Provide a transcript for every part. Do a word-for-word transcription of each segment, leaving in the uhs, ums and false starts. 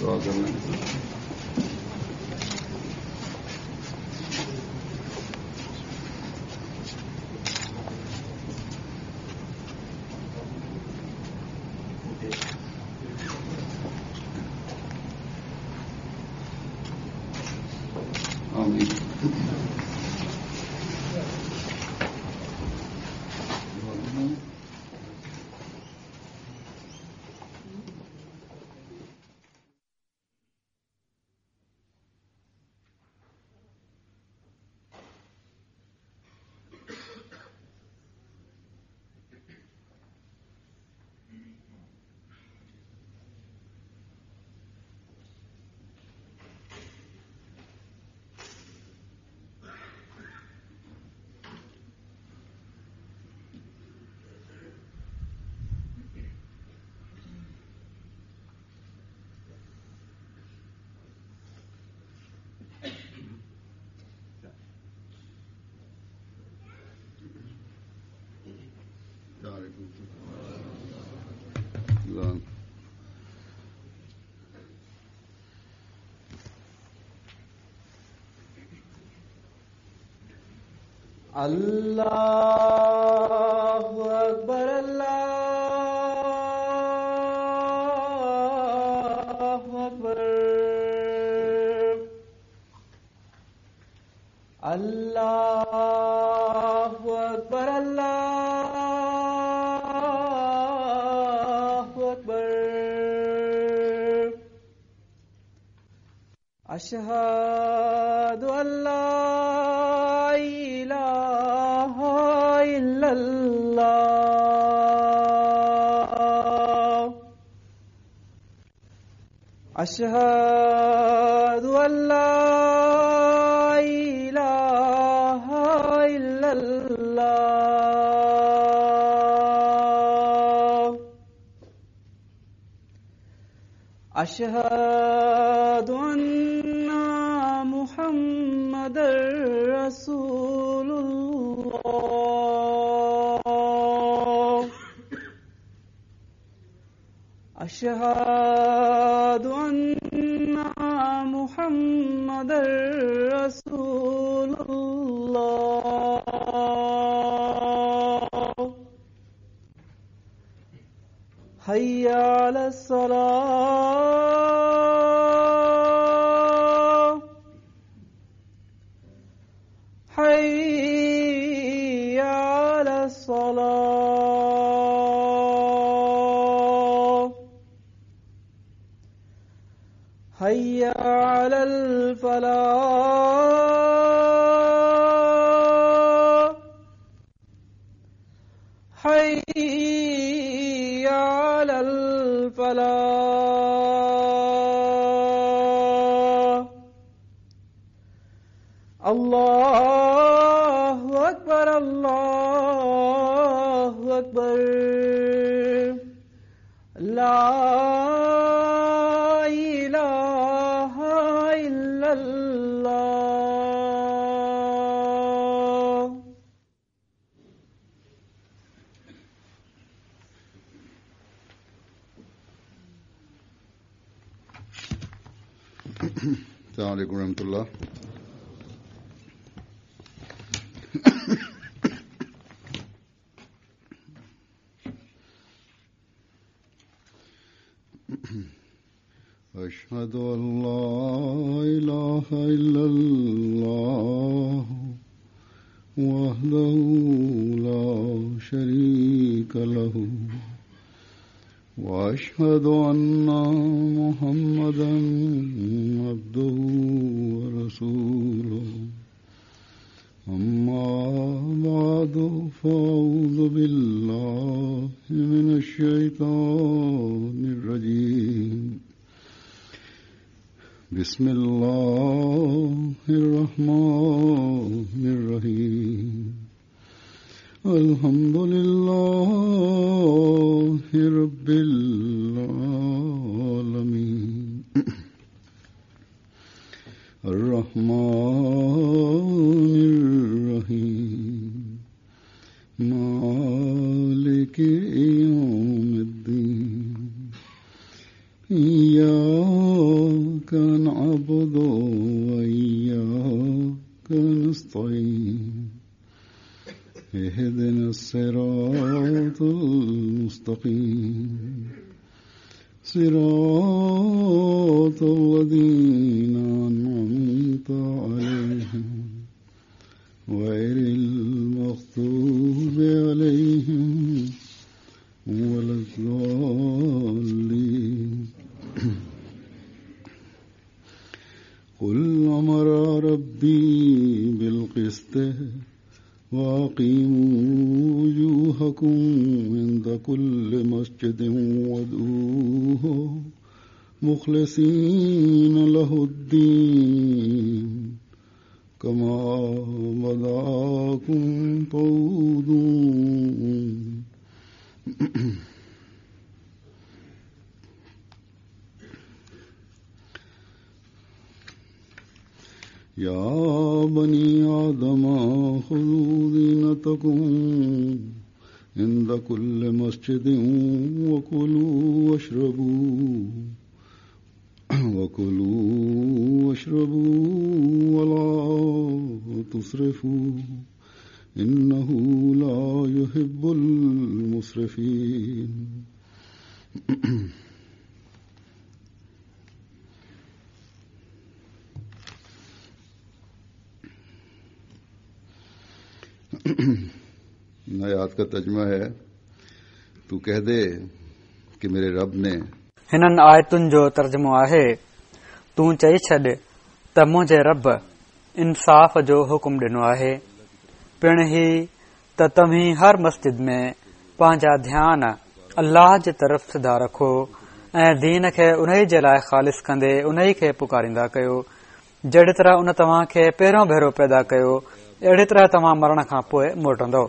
दुआ कर लें। आमीन। अल्लाहु अकबर, अल्लाहु अकबर, अल्लाहु अकबर, अल्लाहु अकबर। अशहदु अल्ला इलाहा इल्लल्लाह, अशहदु अल्ला इलाहा इल्लल्लाह, अशहदु अन्ना मुहम्मदर रसूलुल्लाह, अशहदु अन्ना मुहम्मदर रसूलुल्लाह। हय्या अलस्सलाह, हय्या अलस्सलाह, हय्या अलल फलाह, हय्या अलल फलाह। अल्लाहु अकबर, अल्लाहु अकबर, ला इलाहा इल्लल्लाह। अस्सलामु अलैकुम रहमतुल्लाह। अशहदु अल्ला इलाहा इल्लल्लाह वहदहू ला शरीक लहू व अशहदु अन्ना मुहम्मदन अब्दुहू व रसूलुहू। अम्मा बअदु फ़अऊज़ु बिल्लाहि मिनश शैतानिर रजीम। बिस्मिल्लाहिर्रहमानिर्रहीम। अल्हम्दुलिल्लाहि रब्बिल आलमीन। अर्रहमानिर्रहीम। मालिकि यौमिद्दीन। इय्याका المستقيم صراط الذين أنعمت عليهم غير المغضوب عليهم ولا الضالين. قل أمر ربي بالقسط وأقيموا وجوهكم عند كل مسجد وادعوه مخلصين له الدين كما بدأكم تعودون. يا بني آدم خذوا زينتكم عند كل مسجد وكلوا واشربوا وكلوا واشربوا ولا تسرفوا إنه لا يحب المسرفين. आयात का तर्जुमा है, तू कह दे कि मेरे रब ने। हिननि आयतुनि जो तर्जुमो आहे, तूं चई छॾ त मुंहिंजे रब इंसाफ़ जो हुकुम ॾिनो आहे, पिणु ही त तव्हीं हर मस्जिद में पंहिंजा ध्यान अल्लाह जे तरफ़ सिधा रखो ऐं दीन खे उन्ही जे लाइ ख़ालिस कंदे उन्ही खे पुकारींदा कयो, जहिड़ी तरह उन तव्हां खे पहिरियों भेरो पैदा कयो अहिड़ी तरह तव्हां मरण खां पोइ मोटंदो।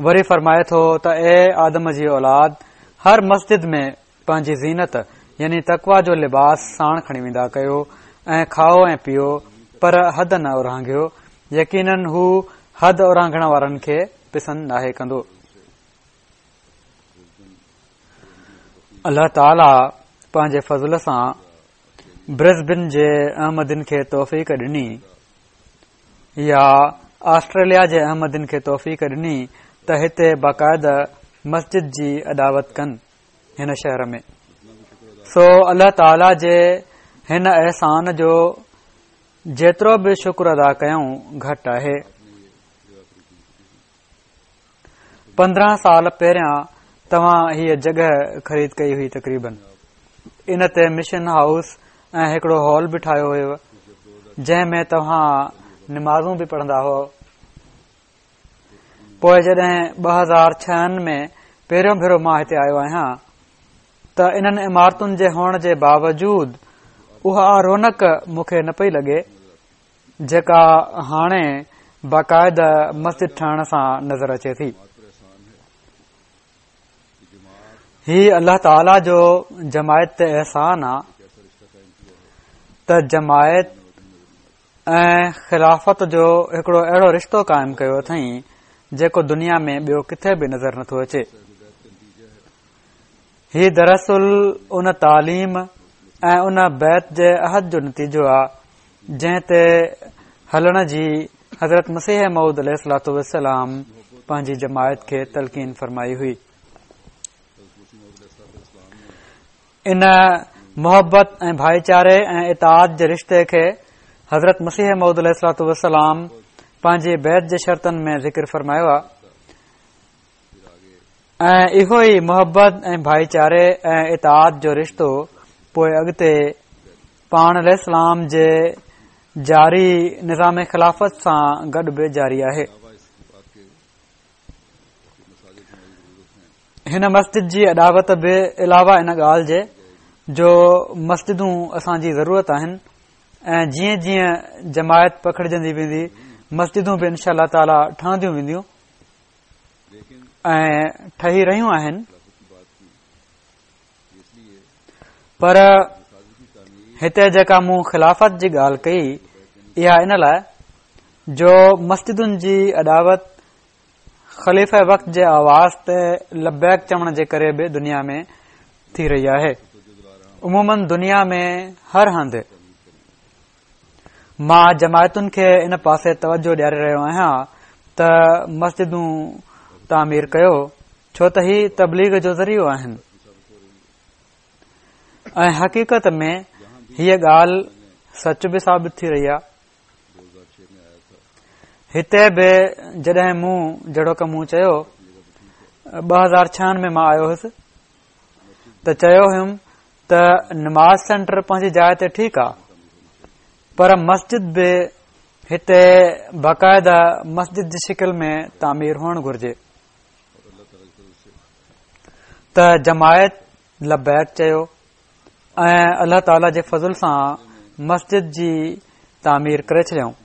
वरी फरमाए थो त ए आदम जी औलाद, हर मस्जिद में पंहिंजी ज़ीनत यानी तकवा जो लिबास साण खणी वेंदा कयो ऐं खाओ ऐं पियो, पर हद न उरांघियो, यकीनन हू हद उरांघण वारनि खे पसंदि नाहे कंदो। अल्लाह ताला पंहिंजे फज़ल सां ब्रिस्बेन जे अहमदिन खे तौफ़ीक ॾिनी या ऑस्ट्रेलिया जे अहमदिन खे तौफ़ीक ॾिनी त हिते बाक़ाइदा मस्जिद जी अॾावत कनि हिन शहर में। सो अल्लाह ताला जे हिन एहसान जो जेतिरो बि शुक्र अदा कयूं घटि आहे। पंद्रहं साल पहिरियां तव्हां हीअ जॻह ख़रीद कई हुई तक़रीबन। इन ते मिशन हाउस ऐं हिकिड़ो हॉल बि ठाहियो हुयो जंहिं में तव्हां निमाज़ूं बि पढ़ंदा हुआ। पोइ जॾहिं ॿ हज़ार छहनि में पहिरियों भेरो मां हिते आयो आहियां त इन्हनि इमारतुनि जे हुअण जे बावजूद उहा रौनक मूंखे न पई लॻे जेका हाणे बाक़ाइदा मस्जिद ठहण सां नज़र अचे थी। ही अल्लाह ताला जो जमायत ते एहसान आहे त जमायत ऐं ख़िलाफ़त जो हिकिड़ो अहिड़ो रिश्तो क़ाइमु कयो अथई जेको दुनिया में ॿियो किथे बि नज़र नथो अचे। ही दरअसल उन तालीम ऐं उन बैत जे अहद जो नतीजो आहे जंहिं ते हलण जी हज़रत मसीह मौऊद अलैहिस्सलातु वस्सलाम पंहिंजी जमायत खे तलकीन फरमाई हुई। इन मोहबत ऐं भाईचारे ऐं इताअत जे रिश्ते खे हज़रत मसीह मौऊद अलैहिस्सलातु वस्सलाम पंहिंजी बैत जे शर्तनि में ज़िक्र फरमायो आहे ऐं इहो ई मोहबत ऐं भाईचारे ऐं इताअत जो रिश्तो पोइ अॻिते पाण अलैहिस्सलाम जे जारी निज़ाम ख़िलाफ़त सां गॾु बि जारी आहे। हिन मस्जिद जी अॾावत बि अलावा इन ॻाल्हि जे जो मस्जिदूं असांजी ज़रूरत आहिनि ऐं जीअं जीअं जमायत पखिड़जंदी वेंदी मस्जिदूं बि इंशा अल्लाह ताला ठहंदियूं वेंदियूं ऐं ठही रहियूं आहिनि। पर हिते जेका मूं ख़िलाफ़त जी ॻाल्हि कई इहा इन लाइ जो मस्जिदुनि जी अॾावत ख़लीफ़े वक़्त जे आवाज़ ते लबैक चवण जे करे बि दुनिया में थी रही आहे। उमूमन दुनिया में हर हंधि मां जमायतुनि खे इन पासे तवजो ॾियारे रहियो आहियां त मस्जिदूं तामीर कयो ڇو ته هي تبليغ جو ذريعو آهن. ۽ حقيقت ۾ هيء ڳالهه سچ به ثابت ٿي رهي آهي. هتي به جڏهن مون جهڙوڪ مون چيو ٻه هزار ڇهن ۾ مان آيو هيس ته چيو هيم ته نماز سينٽر پنهنجي جاءِ تي ٺيڪ آهي، پر مسجد به هتي باقاعده مسجد جي شڪل ۾ تعمير هئڻ گهرجي. ته جماعت لبيڪ چيو ۽ الله تعاليٰ جي فضل سان مسجد جي تعمير ڪري ڇڏيائون.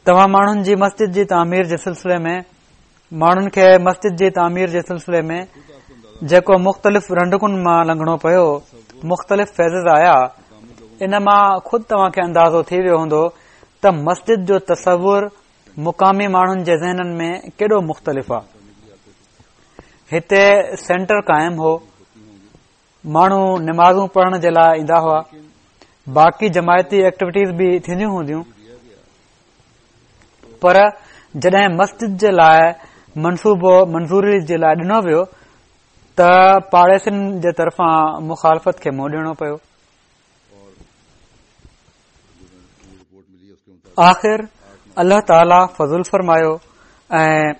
توهان ماڻهن جي مسجد جي تعمير جي سلسلي ۾ ماڻهن کي مسجد جي تعمير جي سلسلي ۾ جيڪو مختلف رنڊڪن مان لنگهڻو پيو، مختلف فيزز آيا، ان مان خود توهان کي اندازو ٿي ويو هوندو ته مسجد جو تصور مقامي ماڻهن جي ذهنن ۾ ڪيڏو مختلف آهي. هتي سينٽر قائم هو، ماڻهو نمازون پڙهڻ جي لاءِ ايندا هئا، باقي جماعتي ايڪٽيوٽيز به ٿينديون هونديون، پر جڏهن مسجد جي لاءِ منصوبو منظوري جي لاءِ ڏنو ويو ته پاڙيسرين جي طرفان مخالفت کي منهن ڏيڻو پيو. آخر الله تعاليٰ فضل فرمايو ۽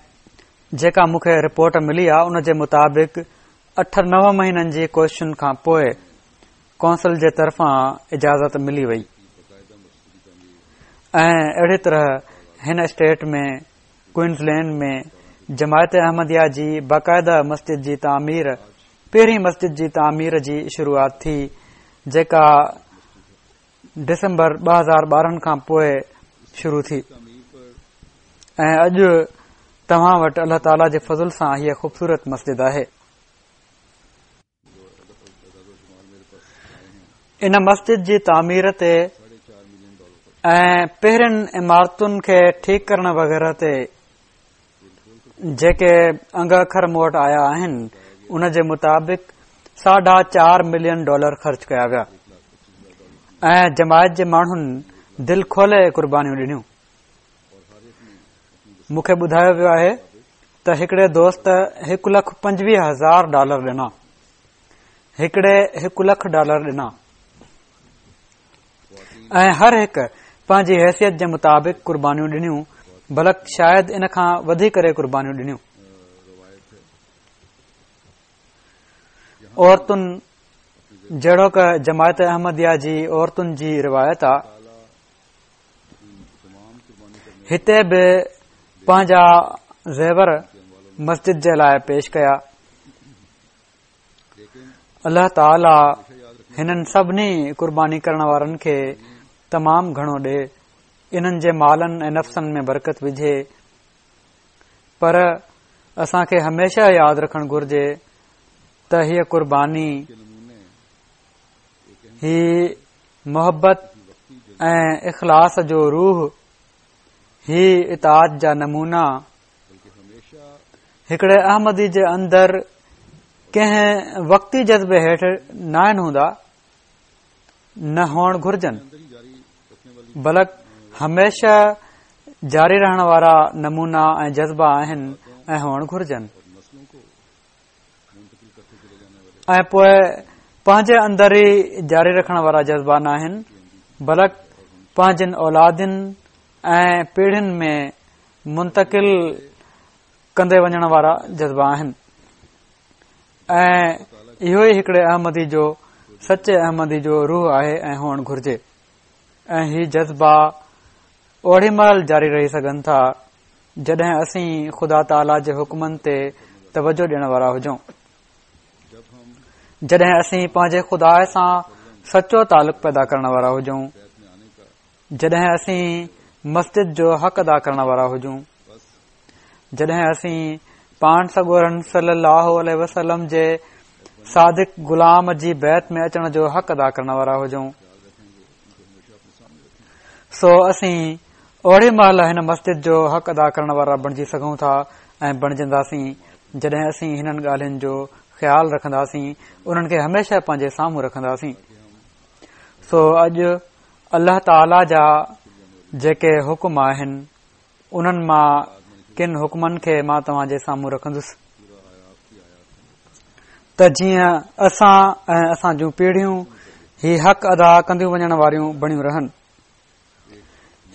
جيڪا مون کي رپورٽ ملي آهي ان جي مطابق اٺ نو مهينن جي ڪوششن کان پوءِ ڪونسل جي طرفان اجازت ملي وئي ۽ اهڙي طرح هن اسٽيٽ ۾ ڪوئنزلينڊ ۾ جماعت احمديه جي باقاعده مسجد جي تعمير، پهرين مسجد جي تعمير جي شروعات ٿي، جيڪا ڊسمبر ٻه هزار ٻارهن کان پوءِ شروع ٿي ۽ اڄ توهان وٽ الله تعاليٰ جي فضل سان هيءَ خوبصورت مسجد آهي. ان مسجد جي تعمير تي ۽ پهرين عمارتن کي ٺيڪ ڪرڻ وغيره تي جيڪي انگ اکر مون وٽ آيا آهن ان جي مطابق ساڍا چار ملين ڊالر خرچ ڪيا ويا ۽ جماعت جي ماڻهن دل کولي قربانيون ڏنيون. مون کي ٻڌايو ويو آهي ته هڪڙي دوست هڪ لک پنجويهه هزار ڊالر ڏنا، هڪڙي هڪ لک ڊالر ڏنا ۽ هر هڪ پنهنجي حيثيت جي مطابق قربانيون ڏنيون، بلڪ شايد ان کان وڌي ڪري قربانيون ڏنيون. عورتن جهڙوڪ جماعت احمديه جي عورتن جي روايت آ، هتي به پنهنجا زيور مسجد جي لاءِ پيش ڪيا. الله تعاليٰ هنن سڀني قرباني ڪرڻ وارن کي تمام گهڻو ڏي، انهن جي مالن ۽ نفسن ۾ برڪت وجهي. پر اسان کي هميشه ياد رکڻ گهرجي ته هيءَ قرباني، هي محبت ۽ اخلاص جو روح، هي اطاعت جا نمونا هڪڙي احمدي جي اندر ڪنهن وقتي جذبي هيٺ ناهن هوندا، نه هئڻ گهرجن، بلڪ هميشه جاري رهڻ وارا نمونا ۽ جذبا آهن ۽ هئڻ گهرجن. ۽ پوءِ پنهنجي اندر ئي جاري رکڻ وارا جذبا ناهن، بلڪ پنهنجن اولادن ۽ پيڙهين ۾ منتقل ڪندي وڃڻ وارا جذبا آهن. ۽ اهو ئي هڪڙي احمدي جو، سچي احمدي جو روح آهي ۽ هئڻ گهرجي. ۽ هي جذبا اوڙي مهل جاري رهي سگهن ٿا جڏهن اسين خدا تعاليٰ جي حڪمن تي توجه ڏيڻ وارا هجون، جڏهن اسين پنهنجي خدا سان سچو تعلق پيدا ڪرڻ وارا هجون، جڏهن اسين مسجد جو حق ادا ڪرڻ وارا هجون، جڏهن اسين پاڻ سڳورن صلي الله عليه وسلم جي صادق غلام جي بيعت ۾ اچڻ جو حق ادا ڪرڻ وارا هجون. سو اسين اوڙي مهل هن مسجد جو حق ادا ڪرڻ وارا بڻجي سگهون ٿا ۽ بڻجنداسين جڏهن اسين هنن ڳالهين جو خيال رکنداسين، انهن کي هميشه پنهنجي سامهون رکنداسين. سو اڄ الله تعاليٰ جا جيڪي حڪم آهن انهن مان ڪن حڪمن کي مان توهان جي سامهون رکندس ته جيئن اسان ۽ اسان جون پيڙهيون هي حق ادا ڪنديون وڃڻ واريون بڻيون رهن.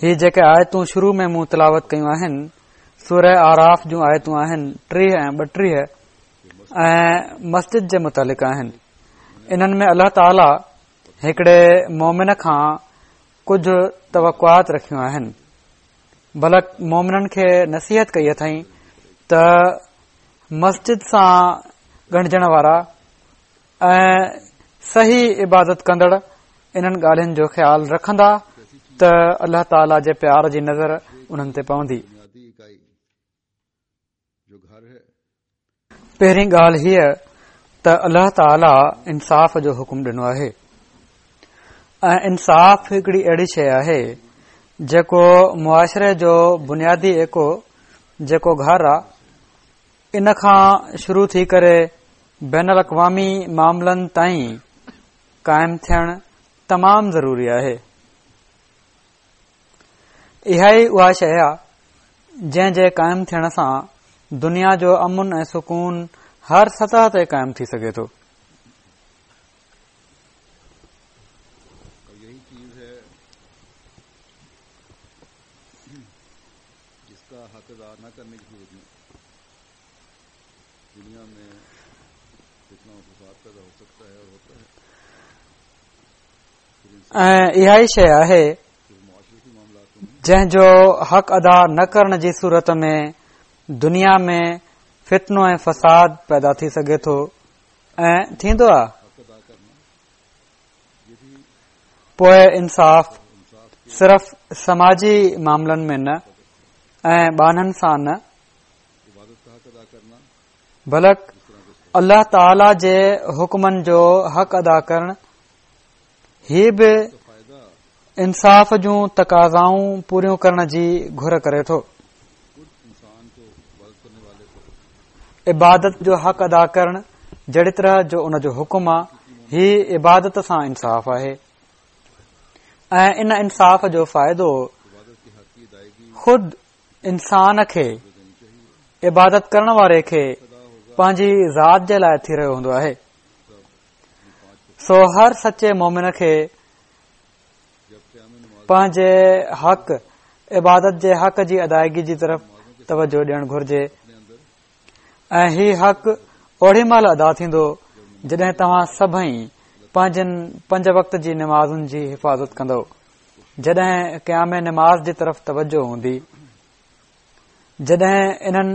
هي جيڪي آيتون شروع ۾ مون تلاوت ڪيون آهن، سوره اعراف جون آيتون آهن ٽيهه ۽ ٻٽيهه ۽ مسجد جي متعلق آهن. انهن ۾ الله تعاليٰ هڪڙي مومن کان ڪجهه توقعات رکيون آهن، بلڪ مومنن کي نصيحت ڪئي اٿائين ته مسجد سان ڳنڍجڻ وارا ۽ صحيح عبادت ڪندڙ انهن ڳالهين جو خيال رکندا ته الله تعاليٰ جي پيار جي نظر انهن تي پوندي. پهرين ڳالهه هيء ته الله تعاليٰ انصاف جو حڪم ڏنو آهي ۽ انصاف هڪڙي اهڙي شيء آهي جيڪو معاشري جو بنيادي ايڪو جيڪو گهر آ، ان کان شروع ٿي ڪري بين الاقوامي معاملن تائين قائم ٿيڻ تمام ضروري آهي. اها ئي اها شيء آ جنهن جي قائم ٿيڻ سان دنيا جو امن ۽ سڪون هر سطح تي قائم ٿي سگهي ٿو. ۽ اها ئي شيء آهي جنهن جو حق ادا نه ڪرڻ جي صورت ۾ دنيا ۾ فتنو ۽ فساد پيدا ٿي سگهي ٿو ۽ ٿيندو آهي. پوء انصاف صرف سماجي معاملن ۾ نه ۽ ٻانهن سان نه، بلڪ الله تعاليٰ جي حڪمن جو حق ادا ڪرڻ هي به انصاف جون تقاضائون پوريون ڪرڻ جي گهر ڪري ٿو. عبادت جو حق ادا ڪرڻ جهڙي طرح جو ان جو حڪم آ، هي عبادت سان انصاف آهي ۽ ان انصاف جو فائدو خود انسان کي، عبادت ڪرڻ واري کي پنهنجي ذات جي لاءِ ٿي رهيو هوندو آهي. سو هر سچي مومن کي پنهنجي حق، عبادت جي حق جي ادائگي جي طرف توجه ڏيڻ گهرجي ۽ هي حق اوڙي مهل ادا ٿيندو جڏهن توهان سڀئي پنهنجن پنج وقت جي نمازن جي حفاظت ڪندؤ، جڏهن قيام نماز جي طرف توجه هوندي، جڏهن انهن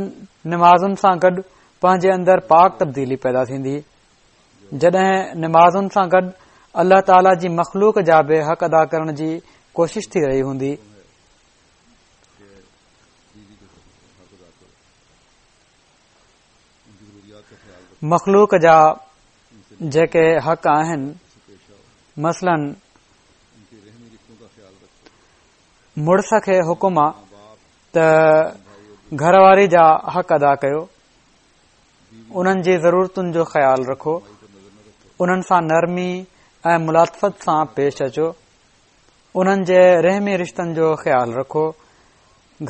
نمازن سان گڏ پنهنجي اندر پاڪ تبديلي پيدا ٿيندي، جڏهن نمازن سان گڏ الله تعاليٰ جي مخلوق جا به حق ادا ڪرڻ جي ڪوشش ٿي رهي هوندي. مخلوق جا جيڪي حق آهن، مثلاً مڙس کي حڪم آ ته گهر واري جا حق ادا ڪيو، انهن جي ضرورتن جو خيال رکو، انهن سان نرمي ۽ ملاطفت سان پيش اچو، انهن جي رحمي رشتن جو خيال رکو،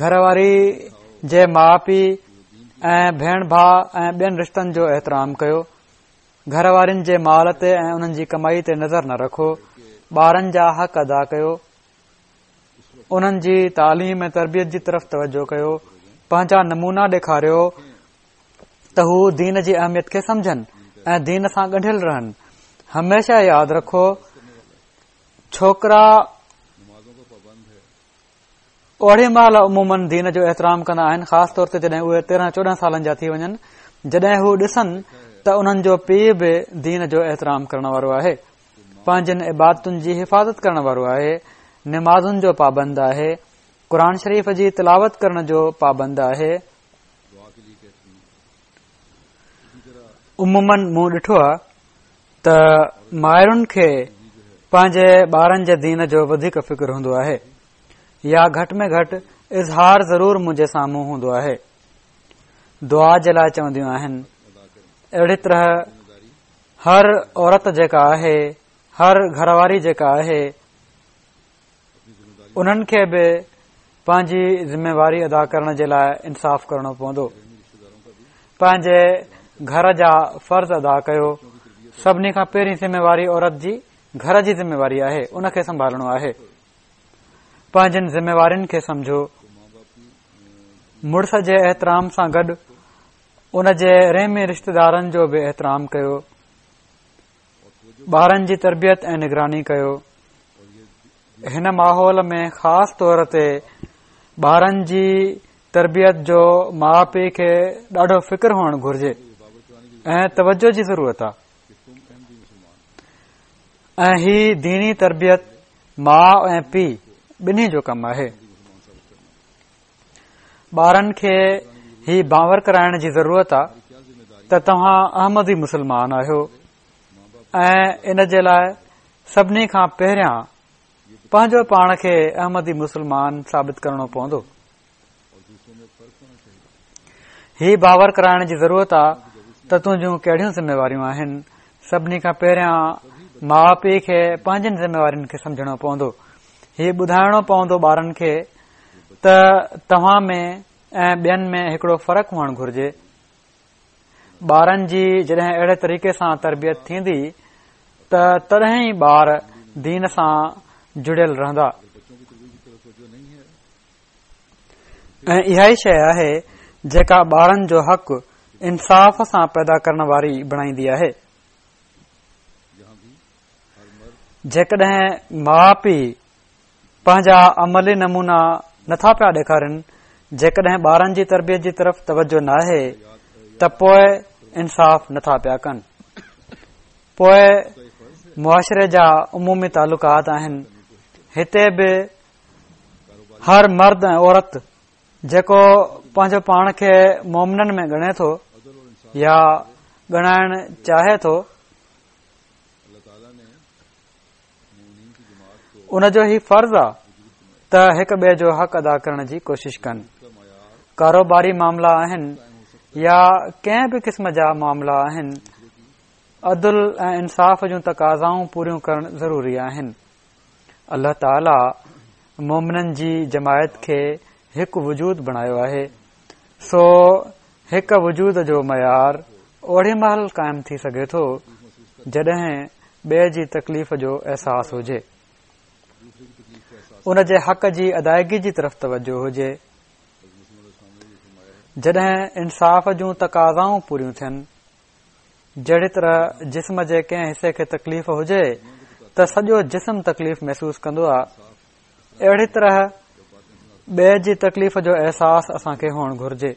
گهر واري جي ماءُ پيءُ ۽ ڀيڻ ڀاءُ ۽ ٻين رشتن جو احترام ڪيو، گهر وارين جي مال تي ۽ انهن جي ڪمائي تي نظر نه رکو، ٻارن جا حق ادا ڪيو، انهن جي تعليم ۽ تربيت جي طرف توجه ڪيو، پنهنجا نمونا ڏيکاريو ته هو دين جي اهميت کي سمجهن ۽ دين سان ڳنڍيل رهن. هميشه ياد رکو ڇوڪرا اوڙي مهل عموماً دين جو احترام ڪندا آهن، خاص طور تي جڏهن اهي تيرهن چوڏهن سالن جا ٿي وڃن، جڏهن هو ڏسن ته انهن جو پيءُ به دين جو احترام ڪرڻ وارو آهي، پنهنجن عبادتن جي حفاظت ڪرڻ وارو آهي، نمازن جو پابند آهي، قرآن شريف جي تلاوت ڪرڻ جو پابند آهي. عموماً مون ڏٺو آهي ته مائرن کي پنهنجي ٻارن جي دين جو وڌيڪ فڪر هوندو آهي، يا گهٽ ۾ گهٽ اظهار ضرور منهنجي سامهون هوندو آهي. دعا جي لاءِ چونديون آهن. اهڙي طرح هر عورت جيڪا آهي، هر گهر واري جيڪا آهي، انهن کي به پنهنجي ذميواري ادا ڪرڻ جي لاءِ انصاف ڪرڻو پوندو. پنهنجي گهر جا فرض ادا ڪيو. سڀني کان پهرين ذميواري عورت جي گهر جي ذميواري آهي، ان کي سنڀالڻو آهي. پنهنجن ذميوارين کي سمجهو. مڙس جي احترام سان گڏ ان جي رحمي رشتيدارن جو به احترام ڪيو. ٻارن جي تربيت ۽ نگراني ڪيو. هن ماحول ۾ خاص طور تي ٻارن جي تربيت جو ماءُ پيءُ کي ڏاڍو فڪر هئڻ گهرجي ۽ توجه جي ضرورت آهي. ۽ هي ديني تربيت ماءُ ۽ پيءُ ٻنهي جو ڪم آهي. ٻارن کي هي باور ڪرائڻ جي ضرورت آهي ته توهان احمدي مسلمان آهيو ۽ ان جي لاءِ سڀني کان پهريان پنهنجو پاڻ کي احمدي مسلمان ثابت ڪرڻو پوندو. هي باور ڪرائڻ جي ضرورت آهي ته تنهنجون ڪهڙيون ذميواريون آهن. سڀني کان پهريان ماءُ پيءُ کي پنهنجن ذميوارين کي سمجهڻو پوندو. هي ٻڌائڻو پوندو ٻارن کي ته توهان ۾ ۽ ٻين ۾ هڪڙو فرق هئڻ گهرجي. ٻارن جي جڏهن اهڙي طريقي سان تربيت ٿيندي ته تڏهن ئي ٻار دين سان جڙيل رهندا. ۽ اها ئي شيءِ آهي جيڪا ٻارن جو حق انصاف سان پيدا ڪرڻ واري بڻائيندي آهي. جيڪڏهن ماءُ پيءُ پنهنجا عملي نمونا نٿا پيا ڏيکارن، جيڪڏهن ٻارن جي تربيت جي طرف توجه ناهي ته پوءِ انصاف نٿا پيا ڪن. پوءِ معاشري جا عمومي تعلقات آهن. هتي به هر مرد ۽ عورت جيڪو پنهنجو پاڻ کي مومنن ۾ ڳڻي ٿو يا ڳڻائڻ چاهي ٿو، ان جو هي فرض آهي ته هڪ ٻئي جو حق ادا ڪرڻ جي ڪوشش ڪن. ڪاروباري معاملا آهن يا ڪنهن به قسم جا معاملا آهن، عدل ۽ انصاف جون تقاضائون پوريون ڪرڻ ضروري آهن. الله تعاليٰ مومنن جي جماعت کي هڪ وجود بڻايو آهي، سو هڪ وجود جو معيار اوڙي مهل قائم ٿي سگهي ٿو جڏهن ٻئي جي تڪليف جو احساس هجي، ان جي حق جي ادائگي جي طرف توجه هجي. جڏهن انصاف جون تقاضائون پوريون ٿين، جهڙي طرح جسم جي ڪنهن حصي کي تڪليف هجي ته سڄو جسم تڪليف محسوس ڪندو آهي، اهڙي طرح ٻئي جي تڪليف جو احساس اسان کي هئڻ گهرجي.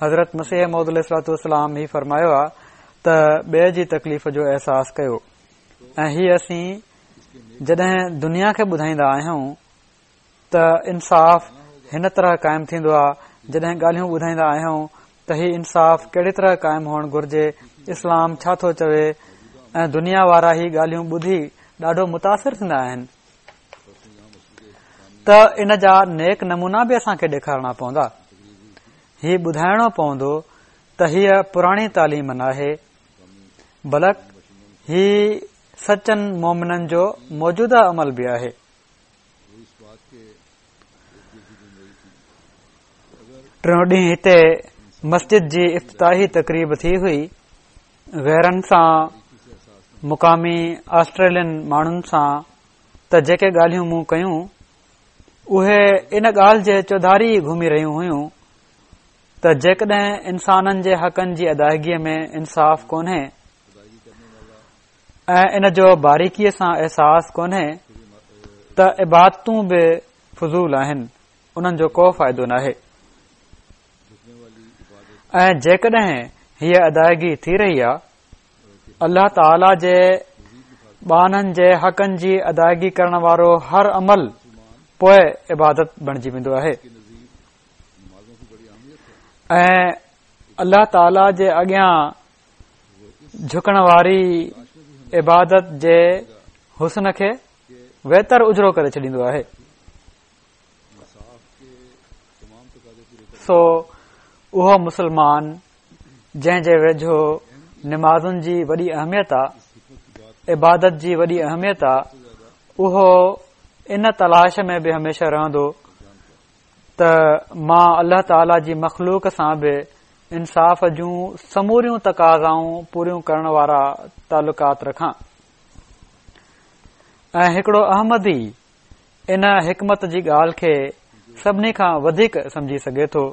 حضرت مسيح موعود عليه الصلوة والسلام هي فرمايو آهي ته ٻئي جي تڪليف جو احساس ڪيو. ۽ هي اسين جڏهن دنيا کي ٻڌائيندا آهيون ته انصاف هن طرح قائم ٿيندو آهي، جڏهن ڳالهيون ٻڌائيندا آهيون ته هي انصاف ڪهڙي طرح قائم هئڻ گهرجي، اسلام ڇا ٿو چوي، ۽ دنيا وارا هي ڳالهيون ٻڌي ڏاڍو متاثر ٿيندا آهن ته ان جا نيڪ نمونا به اسان کي ڏيکارڻا پوندا. هي ٻڌائڻو پوندو ته هيءَ پراڻي تعليم ناهي، بلڪ هي سچن مومنن جو موجوده عمل به آهي. ٽيون ڏينهن هتي مسجد جي افتتاحي تقريب ٿي هئي. غيرن سان، مقامي آسٽريلين ماڻهن سان ته جيڪي ڳالهيون مون ڪيون اهي ان ڳالهه جي چوڌاري گهمي رهيون هيون ته جيڪڏهن انسانن جي حقن جي ادائگيءَ ۾ انصاف ڪونهي ۽ ان جو باريڪيءَ سان احساس ڪونهي ته عبادتون به فضول آهن، انهن جو ڪو فائدو ناهي. ۽ جيڪڏهن هيءَ ادائگي ٿي رهي آهي، الله تعاليٰ جي ٻانهن جي حقن جي ادائگي ڪرڻ وارو هر عمل پوءِ عبادت بڻجي ويندو آهي ۽ الله تعاليٰ جي اڳيان جهڪڻ واري عبادت جي حسن کي ويتر اجرو ڪري ڇڏيندو آهي. سو اهو مسلمان جنهن جي ويجهو نمازن جي وڏي اهميت آهي، عبادت جي وڏي اهميت آهي، اهو ان تلاش ۾ به هميشه رهندو ته مان الله تعاليٰ جي مخلوق سان به انصاف جون سموريون تقاضائون پوريون ڪرڻ وارا تعلقات رکان. ۽ هڪڙو احمدي ان حڪمت جي ڳالهه کي سڀني کان وڌيڪ سمجهي سگهي ٿو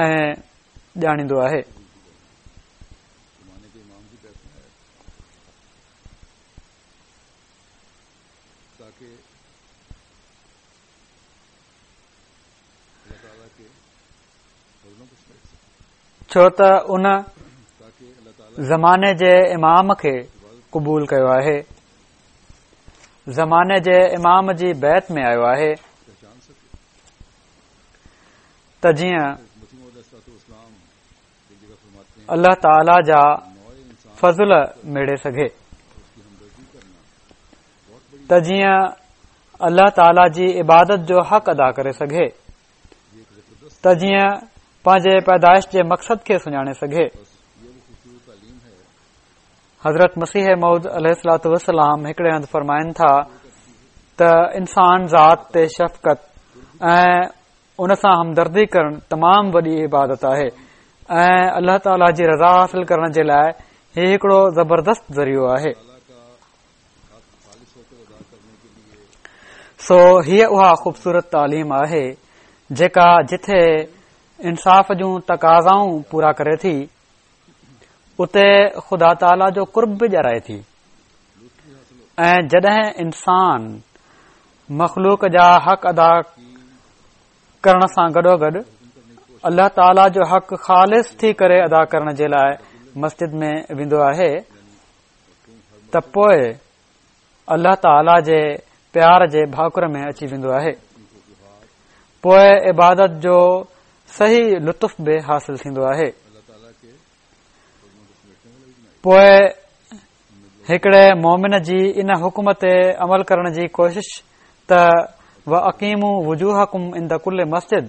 ۽ ڄاڻيندو آهي. ڇو ته ان زماني جي امام کي قبول ڪيو آهي، زماني جي امام جي بيعت ۾ آيو آهي ته جيئن الله تعاليٰ جا فضل ميڙي سگهي، ته جيئن الله تعاليٰ جي عبادت جو حق ادا ڪري سگهي، ته جيئن پنهنجي پيدائش جي مقصد کي سڃاڻي سگهي. حضرت مسيح موعود عليه الصلوة والسلام هڪڙي هنڌ فرمائن ٿا ته انسان ذات تي شفقت ۽ ان سان همدردي ڪرڻ تمام وڏي عبادت آهي ۽ الله تعاليٰ جي رضا حاصل ڪرڻ جي لاء هي هڪڙو زبردست ذريعو آهي. سو هيء اها خوبصورت تعليم آهي جيڪا جٿي انصاف جون تقاضائون پورا ڪري ٿي، اتي خدا تعاليٰ جو قرب به ڏيارائي ٿي. ۽ جڏهن انسان مخلوق جا حق ادا ڪرڻ سان گڏوگڏ الله تعاليٰ جو حق خالص ٿي ڪري ادا ڪرڻ جي لاء مسجد ۾ ويندو آهي ته پوء الله تعاليٰ جي پيار جي ڀاڪر ۾ اچي ويندو آهي. پوء عبادت جو صحيح لطف به حاصل ٿيندو آهي. پوء هڪڙي مومن جي ان حڪم تي عمل ڪرڻ جي ڪوشش ته واقيموا وجوهڪم عند ڪل مسجد،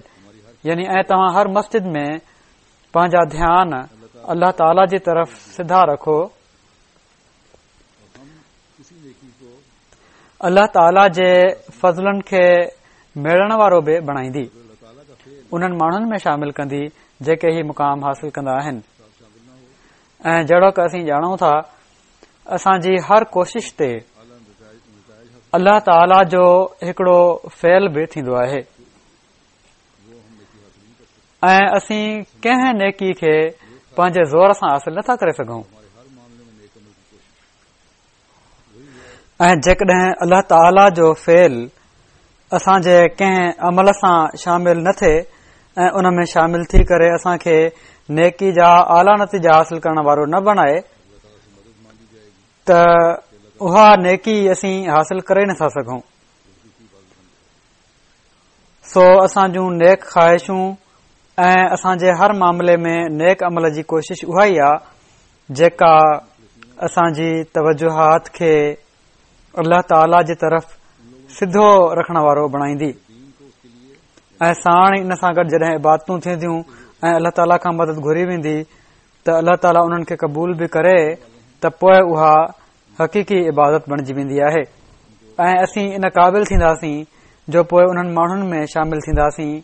يعني ۽ توهان هر مسجد ۾ پنهنجا ڌيان الله تعاليٰ جي طرف سڌا رکو. الله تعاليٰ جي فضلن کي ميڙڻ وارو به بڻائيندي، انهن ماڻهن ۾ شامل ڪندي جيڪي هي مقام حاصل ڪندا آهن. ۽ جهڙوڪ اسين ڄاڻون ٿا، اسان جي هر ڪوشش تي الله تعاليٰ جو هڪڙو فعل به ٿيندو آهي ۽ اسين ڪنهن نيڪي کي پنهنجي زور سان حاصل نٿا ڪري سگهون. ۽ جيڪڏهن الله تعاليٰ جو فعل اسان جي ڪنهن عمل سان شامل نه ٿئي ۽ ان ۾ شامل ٿي ڪري اسان کي نيڪي جا اعليٰ نتيجا حاصل ڪرڻ وارو نه بڻائي ته اها نيڪي اسين حاصل ڪري نٿا سگهون. سو اسان جون نيڪ خواهشون ۽ اسان جي هر معاملي ۾ نيڪ عمل جي ڪوشش اها ئي آ جيڪا اسان جي توجهات کي الله تعاليٰ جي طرف سڌو رکڻ وارو بڻائيندي. ۽ ساڻ ان سان گڏ جڏهن عبادتون ٿينديون ۽ الله تعاليٰ کان مدد گهري ويندي ته الله تعاليٰ انهن کي قبول به ڪري ته پوء اها حقيقي عبادت بڻجي ويندي آهي ۽ اسين ان قابل ٿينداسين جو پوء انهن ماڻهن ۾ شامل ٿينداسين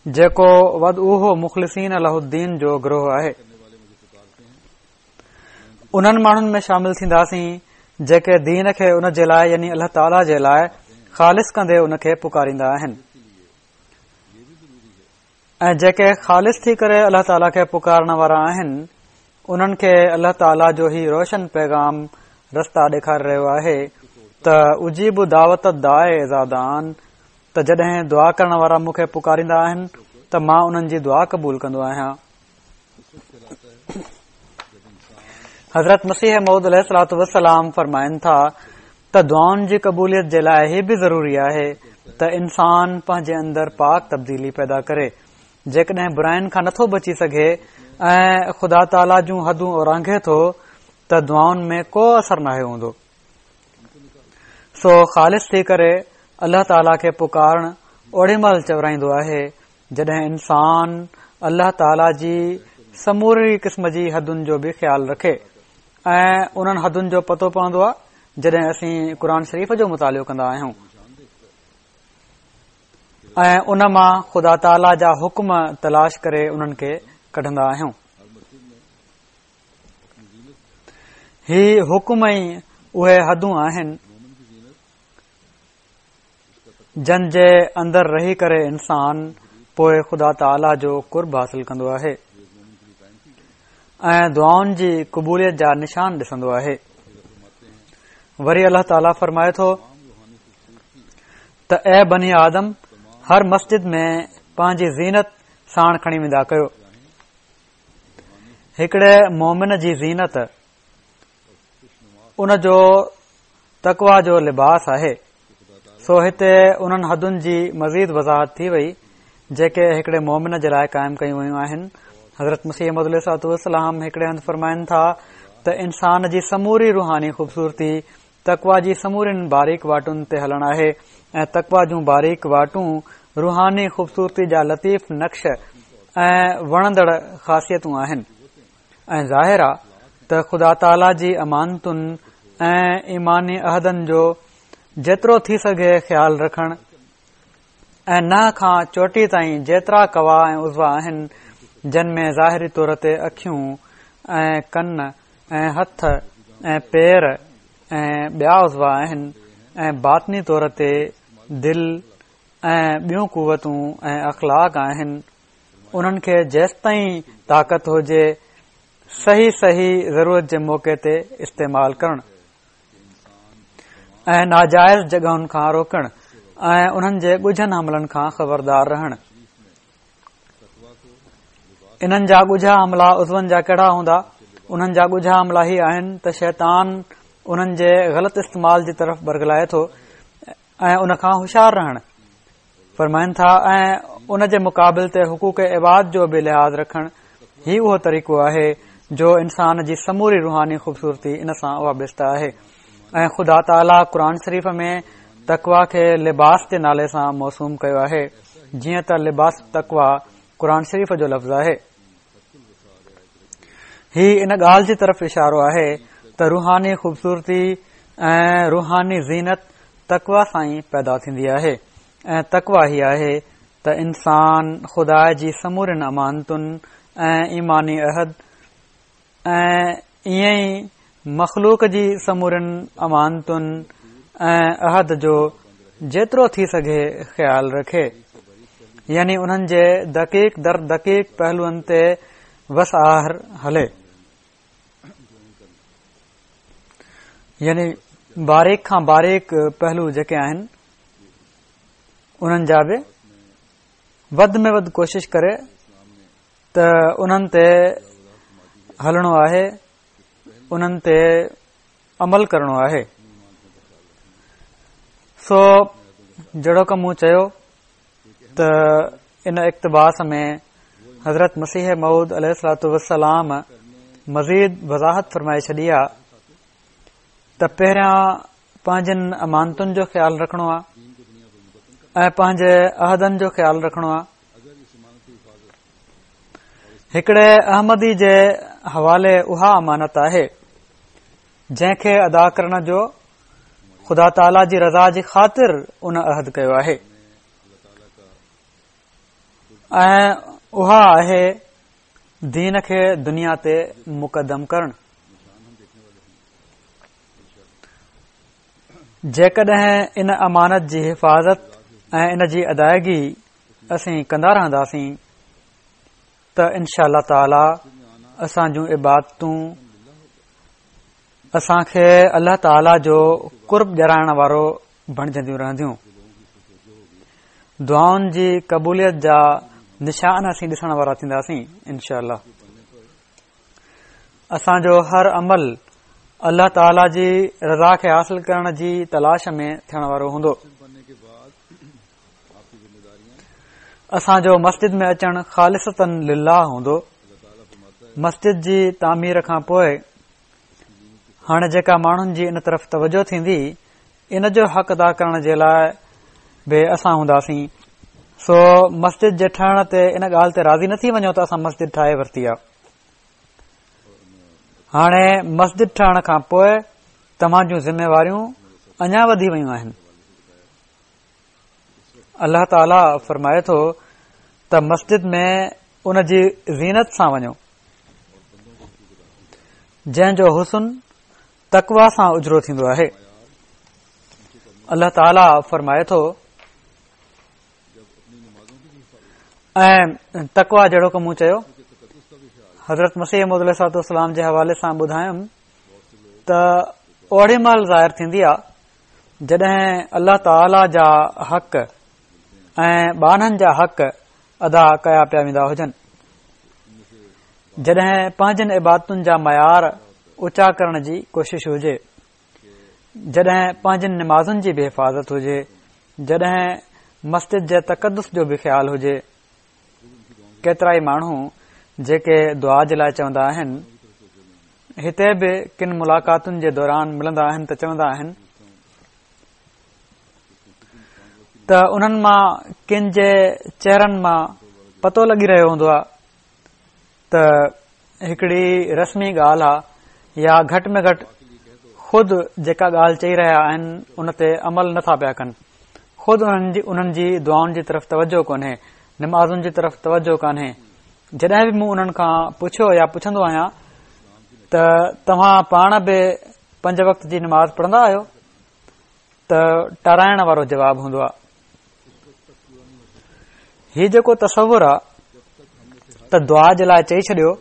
جيڪو وادعوه مخلصين له الدين جو گروهه آهي. انهن ماڻهن ۾ شامل ٿينداسين جيڪي دين کي ان جي لاء يعني الله تعاليٰ جي لاء خالص ڪندي ان کي پڪاريندا آهن ۽ جيڪي خالص ٿي ڪري الله تعاليٰ کي پڪارڻ وارا آهن انهن کي الله تعاليٰ جو هي روشن پيغام رستا ڏيکاري رهيو آهي ته اجيب دعوت الداع اذا دعان، ته جڏهن دعا ڪرڻ وارا مون کي پڪاريندا آهن ته مان انهن جي دعا قبول ڪندو آهيان. حضرت مسيح موعود عليه الصلوة والسلام فرمائن ٿا ته دعائن جي قبوليت جي لاء هي به ضروري آهي ته انسان پنهنجي اندر پاڪ تبديلي پيدا ڪري. جيڪڏهن براين کان نٿو بچي سگهي ۽ خدا تعاليٰ جون حدون اورانگهي ٿو ته دعائن ۾ ڪو اثر ناهي هوندو. سو خالص ٿي ڪري الله تعاليٰ کي پڪارڻ اوڙي مهل چورائيندو آهي جڏهن انسان الله تعاليٰ جي سموري قسم جي حدن جو به خيال رکي ۽ انهن حدن جو پتو پوندو آهي جڏهن اسين قرآن شريف جو مطالعو ڪندا آهيون. ۽ ان مان خدا تعاليٰ جا حڪم تلاش ڪري انهن کي ڪڍندا آهيون. هي حڪم ئي اهي حدون آهن جن جي اندر رهي ڪري انسان پوءِ خدا تعاليٰ جو قرب حاصل ڪندو آهي ۽ دعائن جي قبوليت جا نشان ڏسندو آهي. وري الله تعاليٰ فرمائي ٿو ته اي بني آدم، هر مسجد ۾ پنهنجي زينت ساڻ کڻي ويندا ڪيو. هڪڙي مومن جي زينت ان جو تقويٰ جو لباس آهي. سو هتي انهن حدن جي مزيد وضاحت ٿي وئي جيڪي هڪڙي مومن جي لاءِ قائم ڪيون ويون آهن. حضرت مسيح موعود عليه الصلوة والسلام هڪڙي هنڌ فرمائن ٿا ته انسان جي سموري روحاني خوبصورتي تقويٰ جي سمورين باريڪ واٽن تي هلڻ آهي ۽ تقويٰ جون باريڪ واٽون روحاني خوبصورتي جا لطيف نقش ۽ وڻندڙ خاصيتون آهن. ۽ ظاهر آ ته خدا تعاليٰ جي امانتن ۽ ايماني عهدن جو جيترو ٿي سگهي خيال رکڻ ۽ ننهن کان چوٽي تائين جيترا قوا ۽ عضوا آهن جن ۾ ظاهري طور تي اکيون ۽ ڪن ۽ هٿ ۽ پير ۽ ٻيا عضوا آهن ۽ باطني طور تي دل ۽ ٻيون قوتون ۽ اخلاق آهن، انهن کي جيستائين طاقت هجي صحيح صحيح ضرورت جي موقعي تي استعمال ڪرڻ ۽ ناجائز جڳهن کان روڪڻ ۽ انهن جي ڳجهن حملن کان خبردار رهڻ. انهن جا ڳجها حملا عضون جا ڪهڙا هوندا؟ انهن جا ڳجها حملا هي آهن ته شيطان انهن جي غلط استعمال جي طرف برغلائي ٿو ۽ ان کان هوشيار رهڻ فرمائن ٿا ۽ ان جي مقابل تي حقوق عباد جو به لحاظ رکڻ. هي اهو طريقو آهي جو انسان جي سموري روحاني خوبصورتي ان سان وابسته آهي. ۽ خدا تعاليٰ قرآن شريف ۾ تقويٰ کي لباس جي نالي سان موسوم ڪيو آهي، جيئن ته لباس تقويٰ قرآن شريف جو لفظ آهي. هي ان ڳالهه جي طرف اشارو آهي ته روحاني خوبصورتي ۽ روحاني زينت تقويٰ سان ئي پيدا ٿيندي آهي ۽ تقويٰ هي آهي ته انسان خدا جي سمورين امانتن ۽ ايماني عهد ۽ ائين ئي مخلوق جي سمورين امانتن ۽ عهد جو جيترو ٿي سگهي خيال رکي، يعني انهن جي دقيق در دقيق پهلوئن تي وس آهر هلي، يعني باريڪ کان باريڪ پهلو جيڪي آهن انهن جا به وڌ ۾ وڌ ڪوشش ڪري ته انهن تي هلڻو آهي، انهن تي عمل ڪرڻو آهي. سو جهڙوڪ مون چيو ته ان اقتباس ۾ حضرت مسيح موعود عليه الصلوة والسلام مزيد وضاحت فرمائي ڇڏي آ ته پهريان پنهنجن امانتن جو خيال رکڻو آ ۽ پنهنجي عهدن جو خيال رکڻو آ. هڪڙي احمدي جي حوالي اها امانت آهي جنهن کي ادا ڪرڻ جو خدا تعاليٰ جي رضا جي خاطر ان عهد ڪيو آهي، ۽ اها آهي دين کي دنيا تي مقدم ڪرڻ. جيڪڏهن ان امانت جي حفاظت ۽ ان جي ادائگي اسين ڪندا رهنداسين ته انشاء الله تعاليٰ اسان جون عبادتون اسان کي الله تعاليٰ جو قرب ڏيارائڻ وارو بڻجنديون رهنديون. دعائن جي قبوليت جا نشان اسين ڏسڻ وارا ٿينداسين انشاء الله. اسان جو هر عمل الله تعاليٰ جي رضا کي حاصل ڪرڻ جي تلاش ۾ ٿيڻ وارو هوندو. اسان جو مسجد ۾ اچڻ خالصتاً لله هوندو. مسجد جي تعمير کان پوءِ هاڻي جيڪا ماڻهن جي ان طرف توجه ٿيندي ان جو حق ادا ڪرڻ جي لاءِ به اسان هونداسين. سو مسجد جي ٺهڻ تي ان ڳالهه تي راضي نه ٿي وڃو ته اسان مسجد ٺاهي ورتي آ. هاڻي مسجد ٺهڻ کان پوءِ توهان جون ذميواريون اڃا وڌي ويون آهن. الله تعاليٰ فرمائي ٿو ته مسجد ۾ ان جي زينت سان وڃو جنهن جو حسن تقويٰ سان اجرو ٿيندو آهي. الله تعاليٰ فرمائي ٿو ۽ تقويٰ جهڙوڪ مون چيو حضرت مسيح موعود عليه الصلوة والسلام جي حوالي سان ٻڌايم ته اوڙي مهل ظاهر ٿيندي آهي جڏهن الله تعاليٰ جا حق ۽ ٻانهن جا حق ادا ڪيا پيا ويندا هجن، جڏهن پنهنجن عبادتن جا معيار اوچا ڪرڻ جي ڪوشش هجي، جڏهن پنهنجن نمازن جي به حفاظت هجي، جڏهن مسجد جي تقدس جو به خيال هجي. ڪيترائي ماڻهو جيڪي دعا جي لاءِ چوندا آهن، هتي به ڪن ملاقاتن جي دوران ملندا آهن ته چوندا آهن ته انهن مان ڪن جي چهرن مان پتو لڳي رهيو هوندو آهي ته هڪڙي رسمي ڳالهه آهي يا گهٽ ۾ گهٽ خود جيڪا ڳالهه چئي رهيا آهن ان تي عمل نٿا پيا ڪن، خود انهن جي انهن جي دعائن جي طرف توجه ڪونهي، نمازن جي طرف توجه ڪانهي. جڏهن به مون انهن کان پڇيو يا پڇندو آهيان ته توهان پاڻ به پنج وقت جي نماز پڙهندا آهيو ته ٽارائڻ وارو جواب هوندو آهي. هي جيڪو تصور آهي ته دعا جي لاءِ چئي ڇڏيو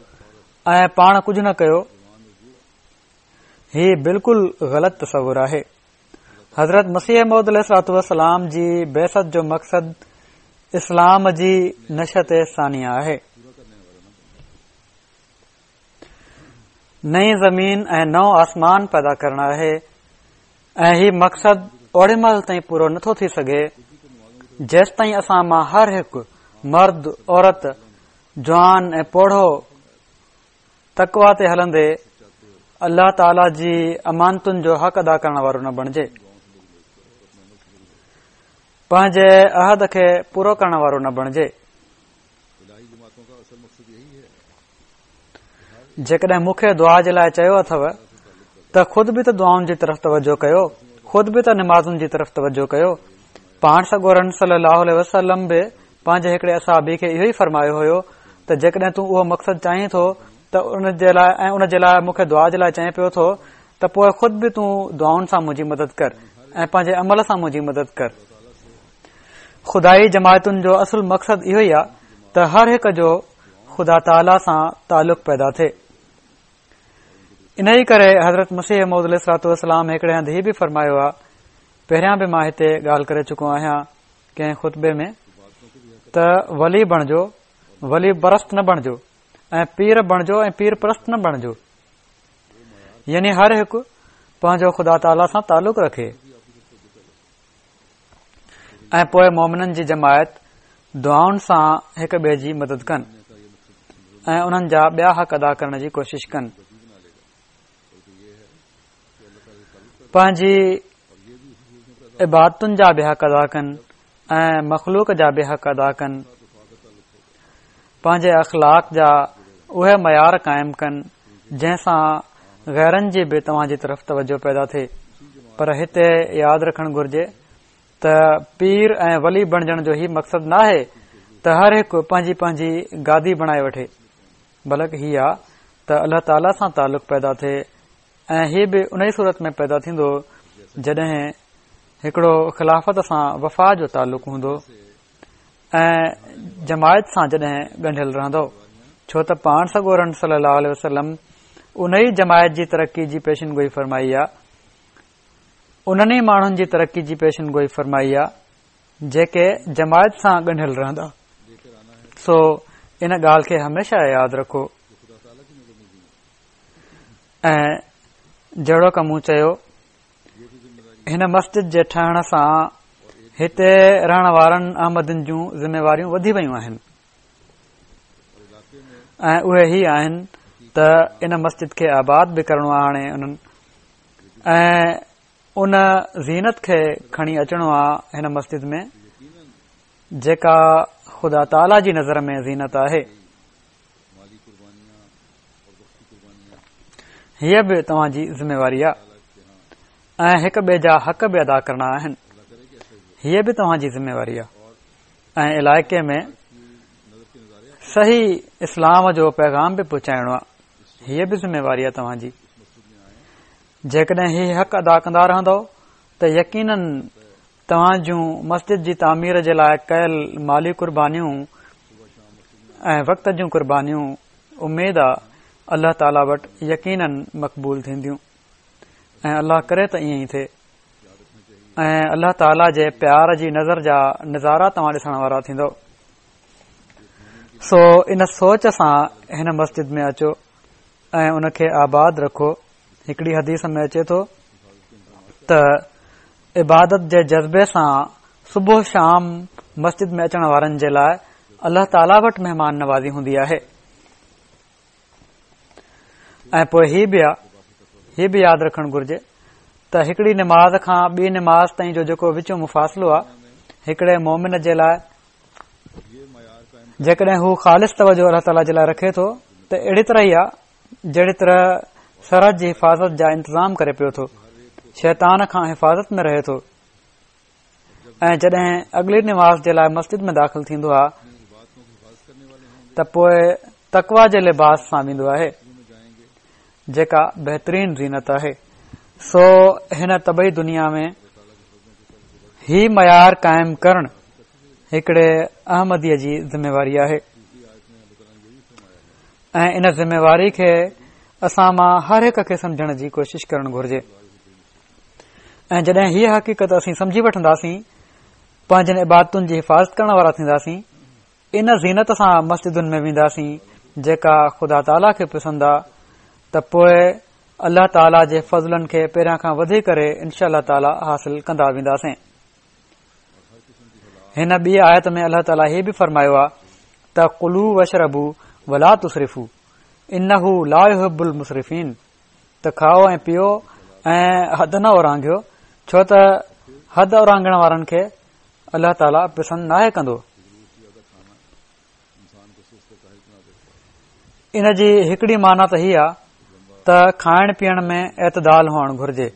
۽ پاڻ ڪجهه نه ڪيو، هي بلڪل غلط تصور آهي. حضرت مسيح موعود عليه الصلوة والسلام جي بعثت جو مقصد اسلام جي نشأت ثانيه آهي. نئين زمين ۽ نئون آسمان پيدا ڪرڻ آهي ۽ هي مقصد اوڙي مهل تائين پورو نٿو ٿي سگهي جيستائين اسان مان هر هڪ مرد، عورت، جوان ۽ پوڙهو تقويٰ تي هلندي الله تعاليٰ جي امانتن جو حق ادا ڪرڻ وارو نه بڻجي، پنهنجي عهد کي پورو ڪرڻ وارو نه بڻجي. جيڪڏهن مون کي دعا جي لاءِ چيو اٿو ته خود به ته دعائن جي طرف توجه ڪيو، خود به ته نمازن جي طرف توجه ڪيو. پاڻ سڳورن صلي الله عليه وسلم به پنهنجي هڪڙي اصحابي کي اهو ئي فرمايو هيو ته جيڪڏهن تون اهو مقصد چاهين ٿو ته ان جي لاءِ ۽ ان جي لاءِ مون کي دعا جي لاءِ چئين پيو ٿو ته پوءِ خود به تون دعائن سان منهنجي مدد ڪر ۽ پنهنجي عمل سان منهنجي مدد ڪر. خدائي جماعتن جو اصل مقصد اهو ئي آهي ته هر هڪ جو خدا تعاليٰ سان تعلق پيدا ٿئي. انهيء ڪري حضرت مسيح موعود عليه الصلوة والسلام هڪڙي هنڌ هي به فرمايو آهي، پهريان به مان هتي ڳالهه ڪري چڪو آهيان ڪنهن خطبي ۾ ته ولي بڻجو، ولي پرست نه بڻجو ۽ پير بڻجو ۽ پير پرست نه بڻجو. يعني هر هڪ پنهنجو خدا تعاليٰ سان تعلق رکي ۽ پوءِ مومنن جي جماعت دعائن سان هڪ ٻئي جي مدد ڪن ۽ انهن جا ٻيا حق ادا ڪرڻ جي ڪوشش ڪن. پنهنجي عبادتن جا به حق ادا ڪن ۽ مخلوق جا به حق ادا ڪن. پنهنجي اخلاق جا اهي معيار قائم ڪن جنهن سان غيرن جي به توهان جي طرف توجه پيدا ٿئي. پر هتي ياد رکڻ گهرجي ته پير ۽ ولي بڻجڻ جو هي مقصد ناهي ته هر هڪ پنهنجي پنهنجي گادي بڻائي وٺي، بلڪ هي آ ته الله تعاليٰ سان تعلق پيدا ٿئي ۽ هي به ان ئي صورت ۾ پيدا ٿيندو جڏهن هڪڙو خلافت سان وفا جو تعلق هوندو ۽ جماعت سان جڏهن ڳنڍيل رهندو، ڇو ته پاڻ سڳورن صلي الله عليه وسلم ان ئي جماعت جي ترقي جي پيشن گوئي فرمائي آ، انهن ئي ماڻهن جي ترقي جي پيشن گوئي فرمائي آ جيڪي جماعت سان ڳنڍيل رهندا. سو ان ڳالهه کي هميشه ياد رکو. ۽ جهڙوڪ مون چيو، هن مسجد جي ٺهڻ سان هتي رهڻ وارن احمدين جون ذميواريون وڌي ويون آهن ۽ اهي هي آهن ته ان مسجد کي آباد به ڪرڻو آهي هاڻي انهن ۽ ان زينت کي کڻي اچڻو آهي هن مسجد ۾ جيڪا خدا تعاليٰ جي نظر ۾ زينت آهي. هيءَ به توهان جي ذميواري آهي ۽ هڪ ٻئي جا حق به ادا ڪرڻا آهن. هيءَ به توهان جي ذميواري آهي. ۽ علائقي ۾ صحيح اسلام جو پيغام به پهچائڻو آهي. هيء به ذميواري آهي توهان جي. جيڪڏهن هي حق ادا ڪندا رهندؤ ته يقيناً توهان جون مسجد جي تعمير جي لاء ڪيل مالي قربانيون ۽ وقت جون قربانيون اميد آ الله تعاليٰ وٽ يقيناً مقبول ٿينديون ۽ الله ڪري ته ائين ئي ٿئي ۽ الله تعاليٰ جي پيار جي نظر جا نظارا توهان ڏسڻ وارا ٿيندؤ. سو ان سوچ سان هن مسجد ۾ اچو ۽ ان کي آباد رکو. هڪڙي حديث ۾ اچي ٿو ته عبادت جي جذبي سان صبح شام مسجد ۾ اچڻ وارن جي لاء الله تعاليٰ وٽ مهمان نوازي هوندي آهي. ۽ پوء هي به هي به ياد رکڻ گهرجي ته هڪڙي نماز کان ٻي نماز تائين جو جيڪو وچون مفاصلو آهي هڪڙي مومن جي لاء جيڪڏهن هو خالص توجه الله تعاليٰ جي لاء رکي ٿو ته اهڙي طرح ئي آهي جهڙي طرح سرحد جي حفاظت جا انتظام ڪري پيو ٿو، شيطان کان حفاظت ۾ رهي ٿو. ۽ جڏهن اڳلي نماز جي لاء مسجد ۾ داخل ٿيندو آهي ته پوء تقويٰ جي لباس سان ويندو آهي جيڪا بهترين زينت آهي. سو هن طبعي دنيا ۾ هي معيار قائم ڪرڻ هڪڙي احمديء جي ذميواري آهي ۽ ان ذميواري کي اسان مان هر هڪ کي سمجهڻ جي ڪوشش ڪرڻ گهرجي. ۽ جڏهن هيء حقيقت اسين سمجهي وٺنداسين، پنهنجن عبادتن جي حفاظت ڪرڻ وارا ٿينداسين، ان زينت سان مسجدن ۾ وينداسين جيڪا خدا تعاليٰ کي پسند آ، ته پوء الله تعاليٰ جي فضلن کي پهريان کان وڌي ڪري انشاء الله تعاليٰ حاصل ڪندا وينداسين. هن ٻي آيت ۾ الله تعاليٰ هي به فرمايو آ ته ڪلوا واشربوا ولا تسرفوا انه لا يحب المسرفين، ته کائو ۽ پيئو ۽ حد نه اورانگهيو، ڇو ته حد اورانگهڻ وارن کي الله تعاليٰ پسند ناهي ڪندو. ان جي هڪڙي معنيٰ ته هي آ ته کائڻ پيئڻ ۾ اعتدال هئڻ گهرجي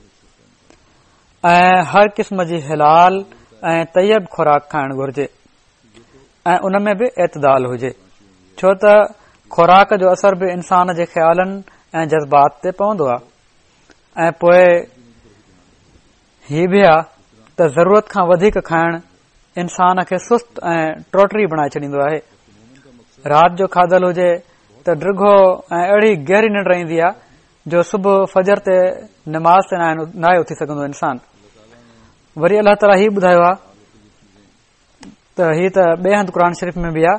۽ هر قسم جي حلال ۽ طيب خوراڪ کائڻ گهرجي ۽ ان ۾ به اعتدال هجي، ڇو ته خوراڪ جو اثر به انسان جي خيالن ۽ جذبات تي پوندو آ. ۽ پوء هي به آ ته ضرورت کان وڌيڪ کائڻ انسان کي سست ۽ ٽوٽري بڻائي ڇڏيندو آهي. رات جو کاڌل هجي ته ڊگهو ۽ اهڙي گهري ننڊ ايندي آ جو صبح فجر تي نماز تي ناهي اٿي سگهندو انسان. وري الله تعاليٰ هي ٻڌايو آ ته هي ته ٻئي هنڌ قرآن شريف ۾ به آ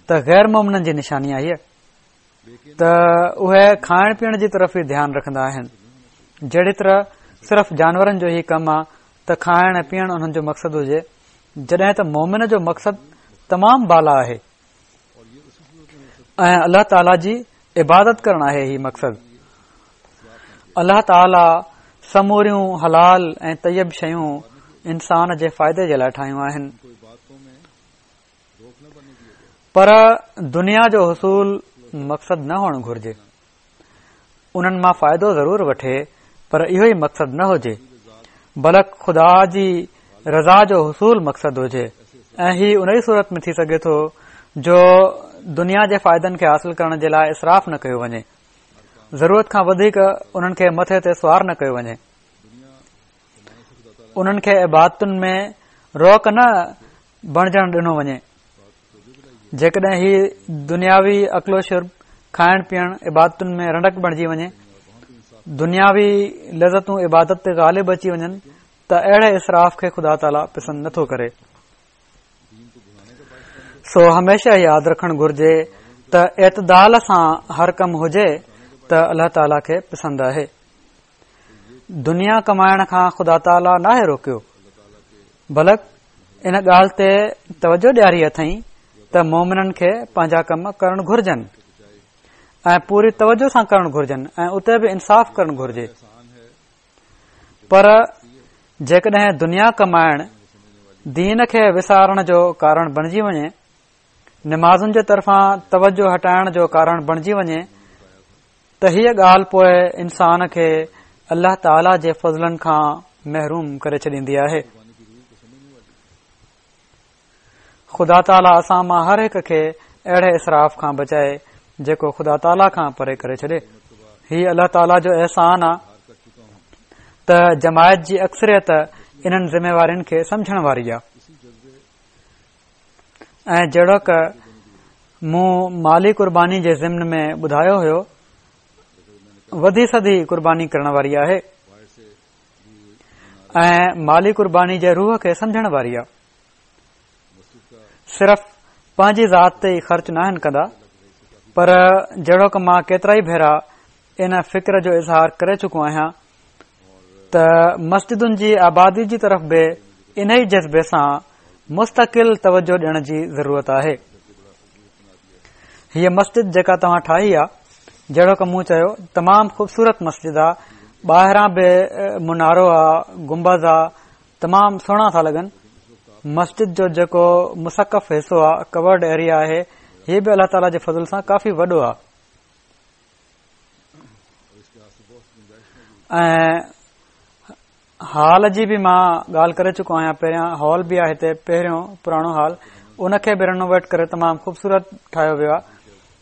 ته غير مومنن جي نشاني آهي ته اهي کائڻ پيئڻ جي طرف ئي ڌيان رکندا آهن. جهڙي طرح صرف جانورن جو هي ڪم آ ته کائڻ ۽ پيئڻ انهن جو مقصد هجي، جڏهن ته مومن جو مقصد تمام بالا آهي ۽ الله تعاليٰ جي عبادت ڪرڻ آهي هي مقصد. الله تعاليٰ سموريون حلال ۽ طيب شيون انسان جي فائدي جي لاء ٺاهيون آهن، پر دنيا جو حصول مقصد نه هئڻ گهرجي. انهن مان فائدو ضرور وٺي پر اهو ئي مقصد نه هجي، بلڪ خدا جي رضا جو حصول مقصد هجي. ۽ هي ان ئي صورت ۾ ٿي سگهي ٿو جو دنيا جي فائدن کي حاصل ڪرڻ جي لاء اسراف نه ڪيو وڃي، ضرورت کان وڌيڪ انهن کي مٿي تي سوار نه ڪيو وڃي، انهن کي عبادتن ۾ روڪ نه بڻجڻ ڏنو وڃي. جيڪڏهن هي دنياوي اڪل و شرب، کائڻ پيئڻ عبادتن ۾ رنڊڪ بڻجي وڃي، دنياوي لذتون عبادت تي غالب اچي وڃن ته اهڙي اسراف کي خدا تعاليٰ پسند نٿو ڪري. سو هميشه ياد رکڻ گهرجي ته اعتدال سان هر ڪم هجي ته الله تعاليٰ کي پسند آهي. دنيا ڪمائڻ کان خدا تعاليٰ ناهي روڪيو، بلڪ ان ڳالهه تي توجه ڏياري اٿئين ته مومنن کي پنهنجا ڪم ڪرڻ گهرجن ۽ پوري توجه سان ڪرڻ گهرجن ۽ اتي به انصاف ڪرڻ گهرجي. پر جيڪڏهن دنيا ڪمائڻ دين کي وسارڻ جو ڪارڻ بڻجي وڃي، نمازن جي طرفان توجه هٽائڻ جو ڪارڻ بڻجي وڃي ته هيء ڳالهه پوء انسان کي الله تعاليٰ جي فضلن کان محروم ڪري ڇڏيندي آهي. خدا تعاليٰ اسان مان هر هڪ کي اهڙي اسراف کان بچائي جيڪو خدا تعاليٰ کان پري ڪري ڇڏي. هي الله تعاليٰ جو احسان آ ته جماعت جي اڪثريت انهن ذميوارين کي سمجهڻ واري آ. ۽ جهڙوڪ مون مالي قرباني جي ضمن ۾ ٻڌايو هيو، وڌي سڌي قرباني ڪرڻ واري آهي ۽ مالي قرباني جي روح کي سمجهڻ واري آ. صرف پنهنجي ذات تي ئي خرچ ناهن ڪندا، پر جهڙوڪ مان ڪيترائي ڀيرا ان فڪر جو اظهار ڪري چڪو آهيان ته مسجدن جي آبادي جي طرف به انهي جذبي سان مستقل توجه ڏيڻ جي ضرورت آهي. هيء مسجد جيڪا توهان ٺاهي آ، جهڙوڪ مون چيو، تمام خوبصورت مسجد آ. ٻاهران به منارو آ، گنبذ آ، تمام سهڻا ٿا لڳن. مسجد جو جيڪو مسقف حصو آ، ڪورڊ ايريا آهي، هي به الله تعاليٰ جي فضل سان ڪافي وڏو آ. ۽ هال جي به مان ڳالهه ڪري چڪو آهيان پهريان، هال به آهي هتي پهريون پراڻو هال، ان کي به رينوويٽ ڪري تمام خوبصورت ٺاهيو ويو آهي.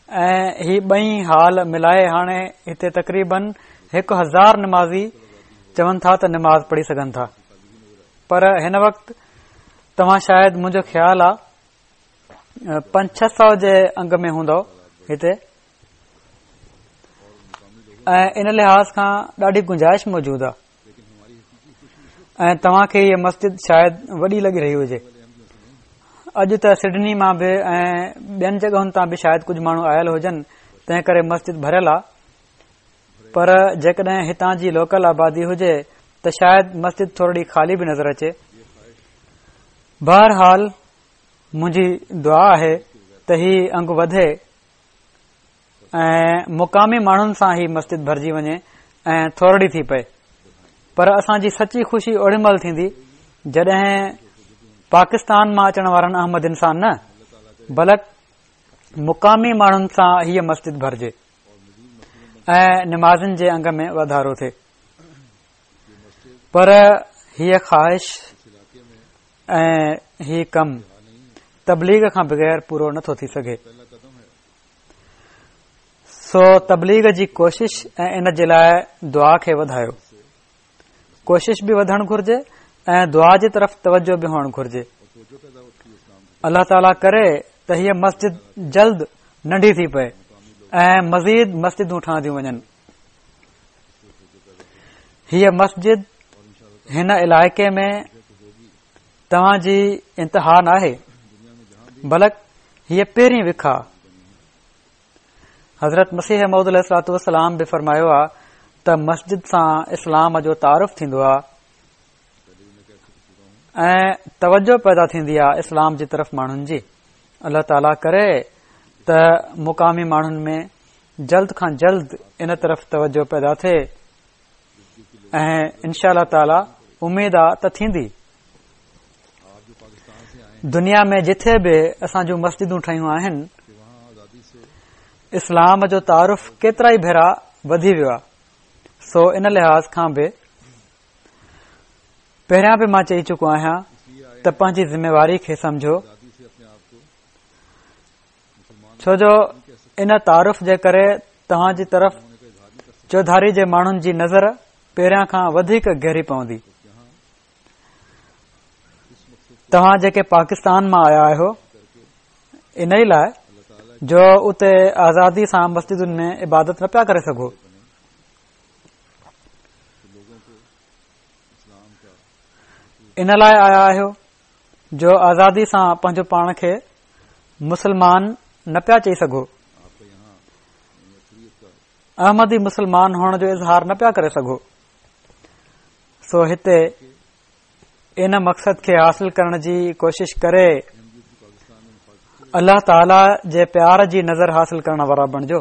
۽ هي ٻئي هال ملائي هاڻي هتي تقريبن هڪ هزار نمازي چون ٿا ته نماز پڙهي سگهن ٿا. پر هن وقت توهان شايد منهنجو خيال آ پنج ڇهه سؤ جي انگ ۾ هوندو هتي، ۽ ان لحاظ کان ڏاڍي گنجائش موجود آ. ۽ توهان کي هيء مسجد شايد وڏي لڳي رهي هجي. اڄ ته سڊني مان به ۽ ٻين جڳهن تان به شايد ڪجهه ماڻهو آيل هجن، تنهن ڪري مسجد ڀريل آ. پر جيڪڏهن هتان جي لوڪل آبادي هجي ته شايد مسجد ٿورڙي خالي به نظر اچي. بهرحال منهنجي دعا آهي ته هي انگ وڌي ۽ مقامي ماڻهن سان هي مسجد ڀرجي وڃي ۽ ٿورڙي ٿي پئي. پر اسان جي سچي خوشي اوڏي مهل ٿيندي جڏهن پاڪستان مان اچڻ وارن احمدين سان نه بلڪ مقامي ماڻهن سان هيء مسجد ڀرجي ۽ نمازن جي انگ ۾ واڌارو ٿئي. پر هيء خواهش ۽ هي ڪم تبليغ کان بغير پورو نٿو ٿي سگهي. سو تبليغ جي ڪوشش ۽ ان جي لاء دعا کي وڌايو. ڪوشش به وڌڻ گهرجي ۽ دعا جي طرف توجه به هئڻ گهرجي. الله تعاليٰ ڪري ته هيء مسجد جلد ننڍي ٿي پئي ۽ مزيد مسجدون ٺهنديون وڃن. هيء مسجد هن علائقي ۾ توهان جي انتها ناهي، بلڪ هيء پهرين وک آ. حضرت مسيح موعود عليه الصلوة والسلام به فرمايو آ ته مسجد سان اسلام جو تعارف ٿيندو آ ۽ توجه پيدا ٿيندي آ اسلام جي طرف ماڻهن جي. الله تعاليٰ ڪري ته مقامي ماڻهن ۾ جلد کان جلد ان طرف توجه پيدا ٿئي ۽ انشاء الله تعاليٰ اميد آ ته ٿيندي. دنيا ۾ جٿي به اسان جون مسجدون ٺهيون آهن، اسلام جو تعارف ڪيترا ئي ڀيرا وڌي ويو آ. سو ان لحاظ کان به پهريان به مان چئي چڪو آهيان ته پنهنجي ذميواري کي سمجهو، ڇو جو ان تعارف جي ڪري توهان جي طرف چوڌاري جي ماڻهن جي نظر پهريان کان وڌيڪ گهري پوندي. توهان جيڪي پاڪستان مان آيا آهيو، ان ئي لاء جو اتي آزادي سان مسجدن ۾ عبادت نه پيا ڪري سگهو. ان لاء آيا آهيو جو آزادي سان پنهنجو پاڻ کي مسلمان نه پيا چئي سگهو، احمدي مسلمان هئڻ جو اظهار نه پيا ڪري سگهو. سو هتي ان مقصد کي حاصل ڪرڻ جي ڪوشش ڪري الله تعاليٰ جي پيار جي نظر حاصل ڪرڻ وارا بڻجو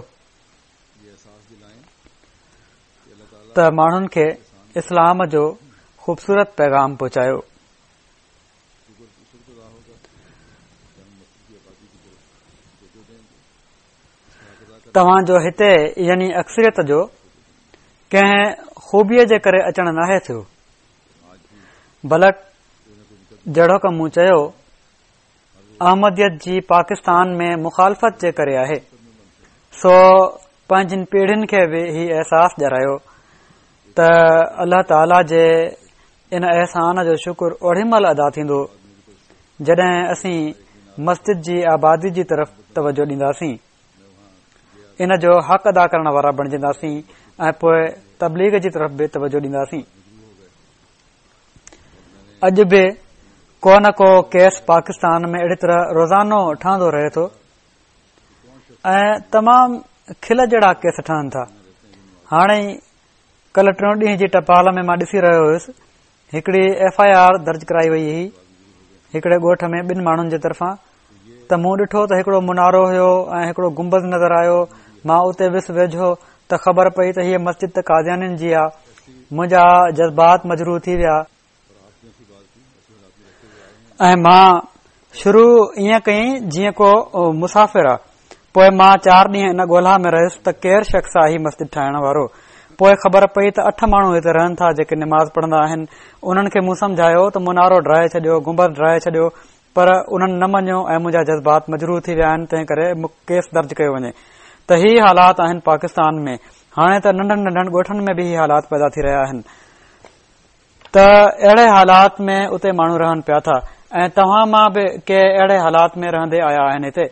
ته ماڻهن کي اسلام جو خوبصورت پيغام پهچايو. توهان جو هتي يعني اڪثريت جو ڪنهن خوبيء جي ڪري اچڻ ناهي ٿيو، بلڪ جهڙوڪ مون چيو احمديت جي پاڪستان ۾ مخالفت جي ڪري آهي. سو پنهنجن پيڙهين کي به هي احساس ڏياريو ته الله تعاليٰ جي ان احسان جو شڪر اوڏي مهل ادا ٿيندو جڏهن اسين مسجد جي آبادي جي طرف توجه ڏينداسين، ان جو حق ادا ڪرڻ وارا بڻجنداسين ۽ پوء تبليغ جي طرف به توجه ڏينداسين. اڄ به ڪو نه ڪو ڪيس پاڪستان ۾ اهڙي طرح روزانو ٺهندو رهي ٿو ۽ تمام کل جهڙا ڪيس ٺهن ٿا. هاڻي ڪلهه ٽيون ڏينهن جي ٽپال ۾ مان ڏسي رهيو هيس، هڪڙي ايف I R درج ڪرائي وئي هئي هڪڙي ڳوٺ ۾ ٻن ماڻهن جي طرفان. ته مون ڏٺو ته هڪڙو منارو هيو ۽ هڪڙو گنبذ نظر آيو. مان اتي ويس ويجهو ته خبر پئي ته هيء مسجد ته قاديانين جي آ. منهنجا جذبات مجروح ٿي ويا ۽ مان شروع ائين ڪيائين جيئن ڪو مسافر آ. پوءِ مان چار ڏينهن ان ڳولها ۾ رهيس ته ڪير شخص آ هي مسجد ٺاهڻ وارو. پوءِ خبر پئي ته اٺ ماڻهو هتي رهن ٿا جيڪي نماز پڙهندا آهن. انهن کي مون سمجهايو ته منارو ڊاهي ڇڏيو، گنبذ ڊاهي ڇڏيو، پر انهن نه مڃيو ۽ منهنجا جذبات مجروح ٿي ويا آهن، تنهن ڪري ڪيس درج ڪيو وڃي. ته هي حالات آهن پاڪستان ۾. هاڻي ته ننڍن ننڍن ڳوٺن ۾ به هي حالات پيدا ٿي رهيا آهن. ته اهڙي حالات ۾ اتي ماڻهو رهن پيا ٿا ۽ توهان مان به ڪي اهڙي حالات ۾ رهندي آيا آهن هتي.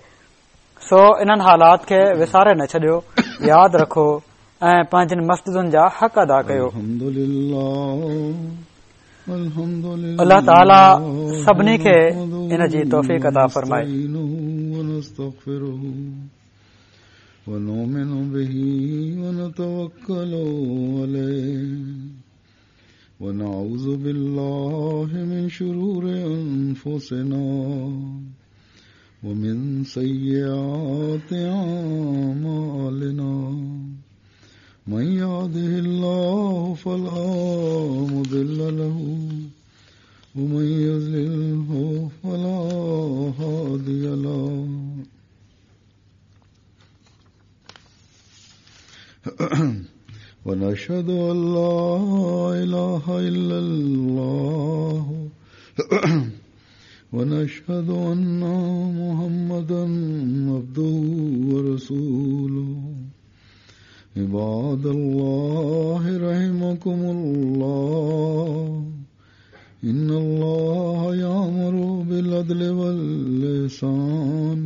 سو انهن حالات کي وساري نه ڇڏيو، ياد رکو ۽ پنهنجن مسجدن جا حق ادا ڪيو. الله تعاليٰ سڀني کي ان جي توفيق عطا فرمائي. ونؤمن به ونتوكل عليه ونعوذ بالله من شرور أنفسنا ومن سيئات أعمالنا من يهده الله فلا مضل له ومن يضلله فلا هادي له ونشهد أن لا إله إلا الله ونشهد أن محمدا عبده ورسوله. عباد الله رحمكم الله، إن الله يأمر بالعدل والإحسان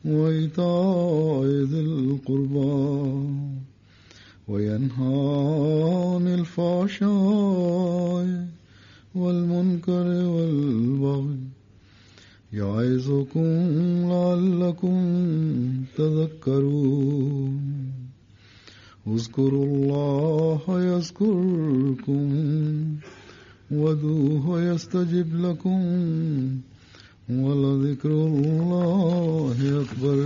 وإيتاء ذي القربى وينهى عن الفحشاء والمنكر والبغي يعظكم لعلكم تذكرون. اذكروا الله يذكركم وادعوه يستجب لكم ولذكر الله أكبر.